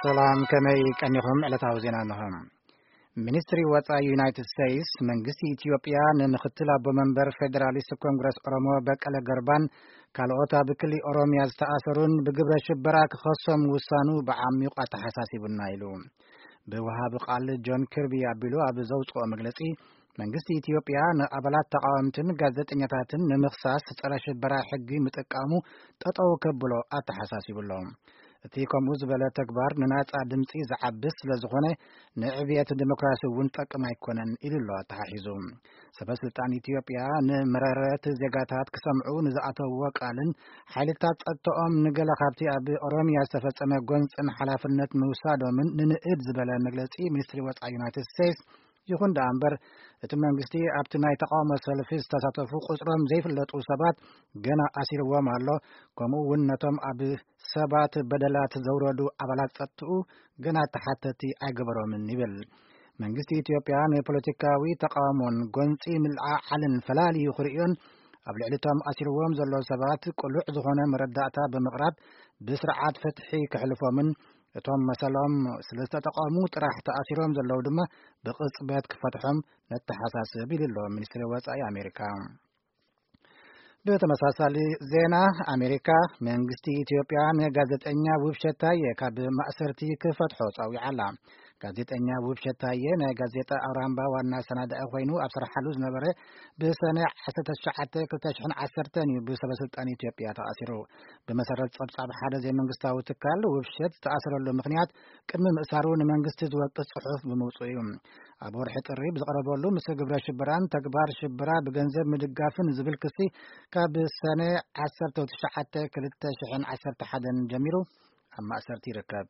ሰላም፣ ከመይ ቀኒኹም? ዕለታዊ ዜና እንሆ። ሚኒስትሪ ወጻኢ ዩናይትድ ስቴትስ፣ መንግስቲ ኢትዮጵያ ንምክትል ኣቦ መንበር ፌዴራሊስት ኮንግረስ ኦሮሞ በቀለ ገርባን ካልኦት ኣብ ክሊ ኦሮሚያ ዝተኣሰሩን ብግብረ ሽበራ ክኸሶም ውሳኑ ብዓሚቑ ኣተሓሳሲቡና ኢሉ። ብወሃቢ ቃል ጆን ኪርቢ ኣቢሉ ኣብ ዘውጽኦ መግለጺ፣ መንግስቲ ኢትዮጵያ ንኣባላት ተቃወምትን ጋዜጠኛታትን ንምኽሳስ ጸረ ሽበራ ሕጊ ምጥቃሙ ጠጠው ከብሎ ኣተሓሳሲቡ ኣሎ። እቲ ከምኡ ዝበለ ተግባር ንናጻ ድምጺ ዝዓብስ ስለ ዝኾነ፣ ንዕብየት ዲሞክራሲ እውን ጠቅም ኣይኮነን ኢሉ ኣሎ ኣተሓሒዙ። ሰበ ስልጣን ኢትዮጵያ ንመረረት ዜጋታት ክሰምዑ ንዝኣተውዎ ቃልን ሓይልታት ጸጥታኦም ንገለ ካብቲ ኣብ ኦሮሚያ ዝተፈጸመ ጎንጽን ሓላፍነት ምውሳዶምን ንንእድ ዝበለ መግለጺ ሚኒስትሪ ወጻኢ ዩናይትድ ስቴትስ። ይኹን ደኣ እምበር፣ እቲ መንግስቲ ኣብቲ ናይ ተቃውሞ ሰልፊ ዝተሳተፉ ቁጽሮም ዘይፍለጡ ሰባት ገና ኣሲርዎም ኣሎ፣ ከምኡ እውን ነቶም ኣብ ሰባት በደላት ዘውረዱ ኣባላት ጸጥትኡ ገና ተሓተቲ ኣይገበሮምን ይብል። መንግስቲ ኢትዮጵያ ንፖለቲካዊ ተቃውሞን ጎንጺ ምልዓዓልን ፈላልዩ ክርእዮን ኣብ ልዕሊ እቶም ኣሲርዎም ዘለዉ ሰባት ቅሉዕ ዝኾነ መረዳእታ ብምቕራብ ብስርዓት ፍትሒ ክሕልፎምን እቶም መሰሎም ስለ ዝተጠቐሙ ጥራሕ ተኣሲሮም ዘለዉ ድማ ብቕጽበት ክፈትሖም ነተሓሳስብ ኢሉ ኣሎ ሚኒስትሪ ወጻኢ ኣሜሪካ። ብተመሳሳሊ ዜና ኣሜሪካ፣ መንግስቲ ኢትዮጵያ ንጋዜጠኛ ውብሸት ታየ ካብ ማእሰርቲ ክፈትሖ ጸዊዓ ኣላ። ጋዜጠኛ ውብሸት ታየ ናይ ጋዜጣ ኣውራምባ ዋና ኣሰናዳኢ ኮይኑ ኣብ ስርሓሉ ዝነበረ ብሰነ ዓሰርተ ትሽዓተ ክልተ ሽሕን ዓሰርተን እዩ ብሰበ ስልጣን ኢትዮጵያ ተኣሲሩ። ብመሰረት ጸብጻብ ሓደ ዘይመንግስታዊ ትካል፣ ውብሸት ዝተኣሰረሉ ምኽንያት ቅድሚ ምእሳሩ ንመንግስቲ ዝወቅስ ጽሑፍ ብምውጽኡ እዩ። ኣብ ወርሒ ጥሪ ብዝቐረበሉ፣ ምስ ግብረ ሽበራን ተግባር ሽበራ ብገንዘብ ምድጋፍን ዝብል ክሲ ካብ ሰነ ዓሰርተ ትሽዓተ ክልተ ሽሕን ዓሰርተ ሓደን ጀሚሩ ኣብ ማእሰርቲ ይርከብ።